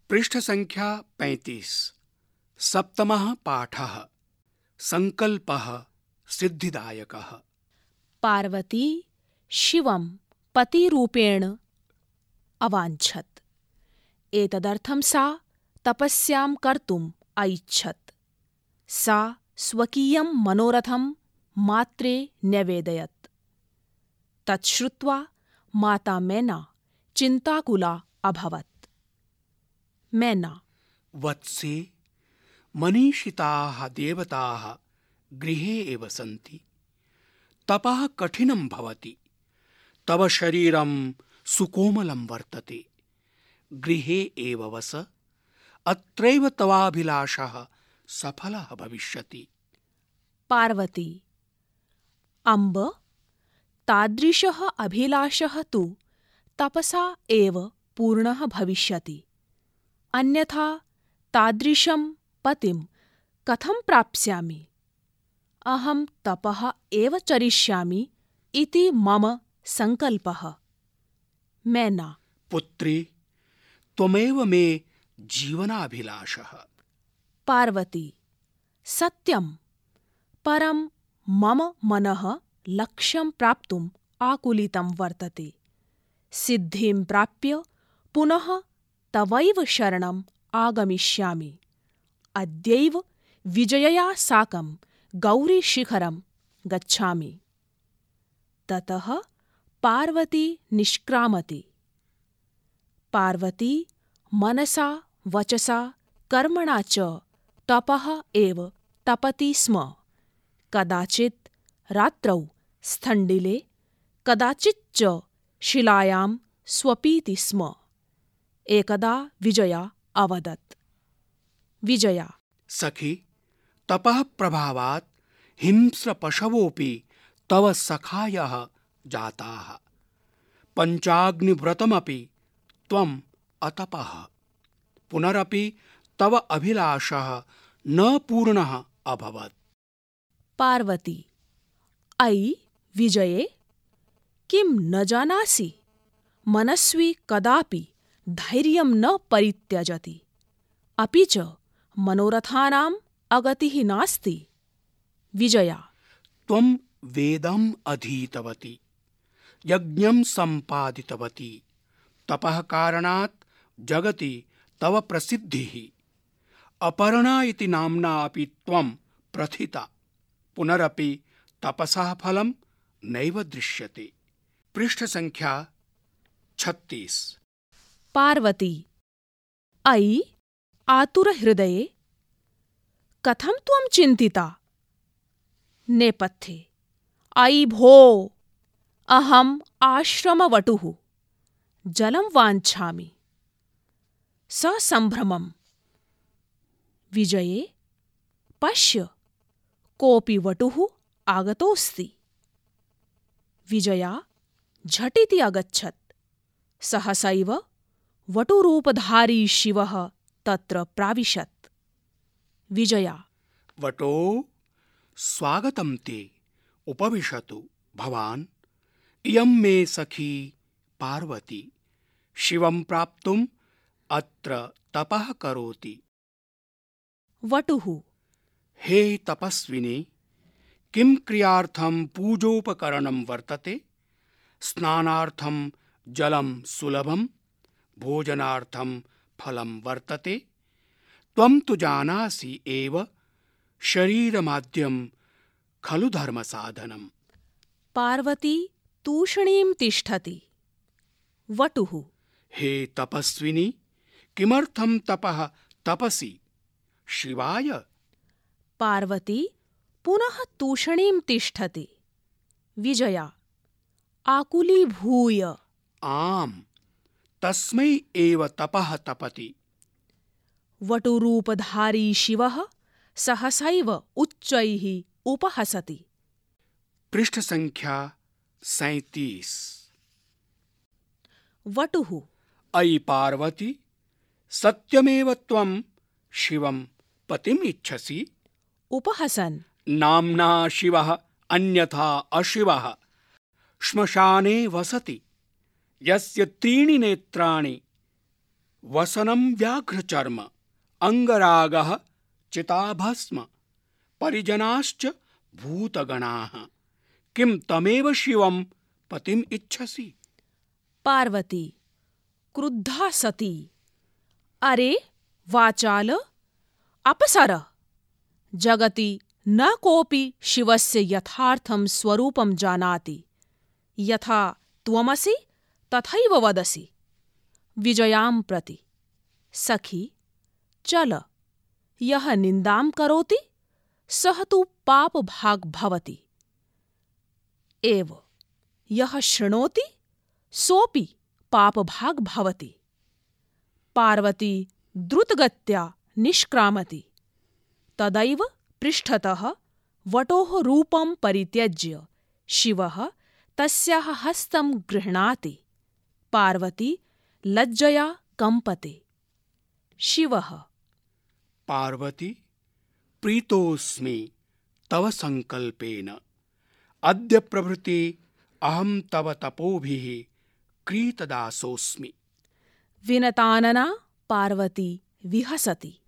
पृष्ठसङ्ख्या 35 सप्तमः पाठः सङ्कल्पः सिद्धिदायकः। पार्वती शिवं पतिरूपेण अवाञ्छत्। एतदर्थं सा तपस्यां कर्तुम् ऐच्छत्। सा स्वकीयं मनोरथं मात्रे न्यवेदयत्। तत् श्रुत्वा माता मैना चिन्ताकुला अभवत्। मैना: वत्से, मनीषिताः देवताः गृहे एव सन्ति। तपः कठिनं भवति। तव शरीरं सुकोमलं वर्तते। गृहे एव वस। अत्रैव तवाभिलाषः सफलः भविष्यति। पार्वती: अम्ब, तादृशः अभिलाषः तु तपसा एव पूर्णः भविष्यति। अन्यथा तादृशं पतिं कथं प्राप्स्यामि? अहं तपः एव चरिष्यामि इति मम सङ्कल्पः। मैना: पुत्री, त्वमेव मे जीवनाभिलाषः। पार्वती: सत्यं, परं मम मनः लक्ष्यं प्राप्तुम् आकुलितं वर्तते। सिद्धिं प्राप्य पुनः तवैव शरणम् आगमिष्यामि। अद्यैव विजयया साकं गौरीशिखरं गच्छामि। ततः पार्वती निष्क्रामति। पार्वती मनसा वचसा कर्मणा च तपः एव तपति स्म। कदाचित् रात्रौ स्थण्डिले, कदाचिच्च शिलायां स्वपीति स्म। एकदा विजया अवदत्। विजया: सखि, तपः प्रभावात् हिंस्रपशवोऽपि तव सखायः जाताः। पञ्चाग्निव्रतमपि त्वम् अतपः। पुनरपि तव अभिलाषः न पूर्णः अभवत्। पार्वती: अयि विजये, किं न जानासि? मनस्वी कदापि धैर्यं न परित्यजति। अपि च मनोरथानाम् अगतिः नास्ति। विजया: त्वं वेदम् अधीतवती, यज्ञं सम्पादितवती। तपः कारणात् जगति तव प्रसिद्धिः। अपर्णा इति नाम्ना अपि त्वं प्रथिता। पुनरपि तपसः फलं नैव दृश्यते। पृष्ठसङ्ख्या 36 पार्वती: अयि आतुरहृदये, कथं त्वं चिन्तिता? नेपथ्ये: अयि भो, अहम् आश्रमवटुः, जलं वाञ्छामि। ससम्भ्रमम्: विजये, पश्य, कोऽपि वटुः आगतोऽस्ति। विजया झटिति अगच्छत्। सहसैव वटुरूपधारी शिवः तत्र प्राविशत्। विजया: वटो, स्वागतं ते। उपविशतु भवान्। इयं मे सखी पार्वती। शिवं प्राप्तुम् अत्र तपः करोति। वटुः: हे तपस्विने, किं क्रियार्थं पूजोपकरणं वर्तते? स्नानार्थं जलं सुलभं, भोजनार्थं फलं वर्तते। त्वं तु जानासि एव, शरीरमाद्यं खलु धर्मसाधनम्। पार्वती तूष्णीं तिष्ठति। वटुः: हे तपस्विनि, किमर्थं तपः तपसि? शिवाय? पार्वती पुनः तूष्णीं तिष्ठति। विजया आकुलीभूय: आम्, तस्मै एव तपः तपति। वटुरूपधारी शिवः सहसैव उच्चैः उपहसति। पृष्ठसङ्ख्या 37 वटुः: अयि पार्वती, सत्यमेव त्वं शिवं पतिम् इच्छसि? उपहसन्: नाम्ना शिवः अन्यथा अशिवः। श्मशाने वसति, यस्य त्रीणि नेत्राणि वसनं व्याघ्रचर्म अङ्गरागः चिताभस्म परिजनाश्च भूतगणाः किं तमेव शिवं पतिम् इच्छसि? पार्वती क्रुद्धा सती अरे वाचाल अपसर जगति न कोऽपि शिवस्य यथार्थं स्वरूपं जानाति यथा त्वमसि तथैव वदसि। विजयां प्रति सखी चल यः निन्दां करोति सः तु पापभाग् भवति एव यः शृणोति सोऽपि पापभाग् भवति। पार्वती द्रुतगत्या निष्क्रामति। तदैव पृष्ठतः वटोः रूपं परित्यज्य शिवः तस्याः हस्तं गृह्णाति। पार्वती लज्जया कम्पते। शिवः पार्वती प्रीतोऽस्मि तव सङ्कल्पेन अद्य प्रभृति अहं तव तपोभिः क्रीतदासोऽस्मि। विनतानना पार्वती विहसति।